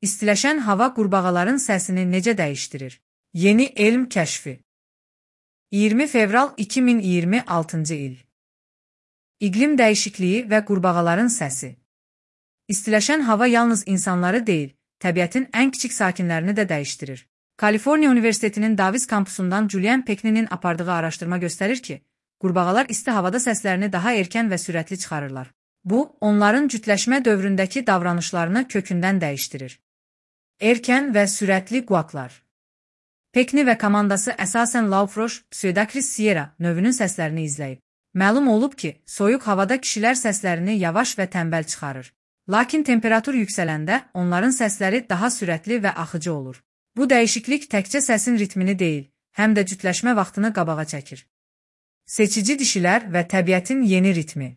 İstiləşən hava qurbağaların səsini necə dəyişdirir? Yeni elm kəşfi. 20 fevral 2026-cı il. İqlim dəyişikliyi və qurbağaların səsi. İstiləşən hava yalnız insanları deyil, təbiətin ən kiçik sakinlərini də dəyişdirir. Kaliforniya Universitetinin Davis kampusundan Julian Peckninin apardığı araşdırma göstərir ki, qurbağalar isti havada səslərini daha erkən və sürətli çıxarırlar. Bu, onların cütləşmə dövründəki davranışlarını kökündən dəyişdirir. Erkən və sürətli quvaqlar. Peckni və komandası əsasən Laufroş, Pseudacris sierra növünün səslərini izləyib. Məlum olub ki, soyuq havada kişilər səslərini yavaş və tənbəl çıxarır. Lakin temperatur yüksələndə onların səsləri daha sürətli və axıcı olur. Bu dəyişiklik təkcə səsin ritmini deyil, həm də cütləşmə vaxtını qabağa çəkir. Seçici dişilər və təbiətin yeni ritmi.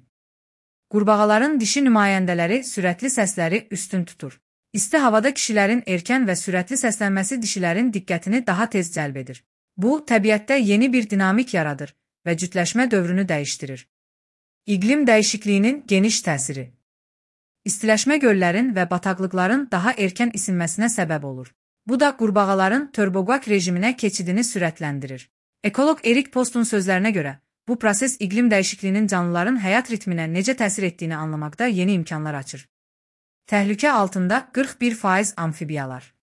Qurbağaların dişi nümayəndələri sürətli səsləri üstün tutur. İsti havada kişilərin erkən və sürətli səslənməsi dişilərin diqqətini daha tez cəlb edir. Bu, təbiətdə yeni bir dinamik yaradır və cütləşmə dövrünü dəyişdirir. İqlim dəyişikliyinin geniş təsiri. İstiləşmə göllərin və bataqlıqların daha erkən isinməsinə səbəb olur. Bu da qurbağaların turboqaq rejiminə keçidini sürətləndirir. Ekoloq Erik Postun sözlərinə görə, bu proses iqlim dəyişikliyinin canlıların həyat ritminə necə təsir etdiyini anlamaqda yeni imkanlar açır. Təhlükə altında 41% amfibiyalar.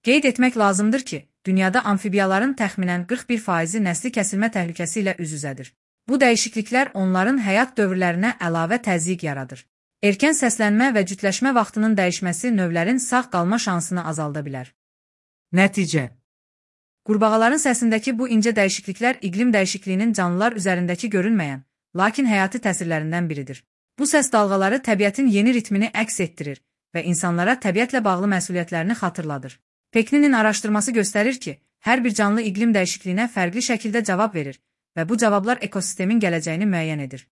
Qeyd etmək lazımdır ki, dünyada amfibiyaların təxminən 41%-i nəsli kəsilmə təhlükəsi ilə üz-üzədir. Bu dəyişikliklər onların həyat dövrlərinə əlavə təzyiq yaradır. Erkən səslənmə və cütləşmə vaxtının dəyişməsi növlərin sağ qalma şansını azalda bilər. Nəticə. Qurbağaların səsindəki bu incə dəyişikliklər iqlim dəyişikliyinin canlılar üzərindəki görünməyən, lakin həyati təsirlərindən biridir. Bu səs dalğaları təbiətin yeni ritmini əks etdirir və insanlara təbiətlə bağlı məsuliyyətlərini xatırladır. Peckninin araşdırması göstərir ki, hər bir canlı iqlim dəyişikliyinə fərqli şəkildə cavab verir və bu cavablar ekosistemin gələcəyini müəyyən edir.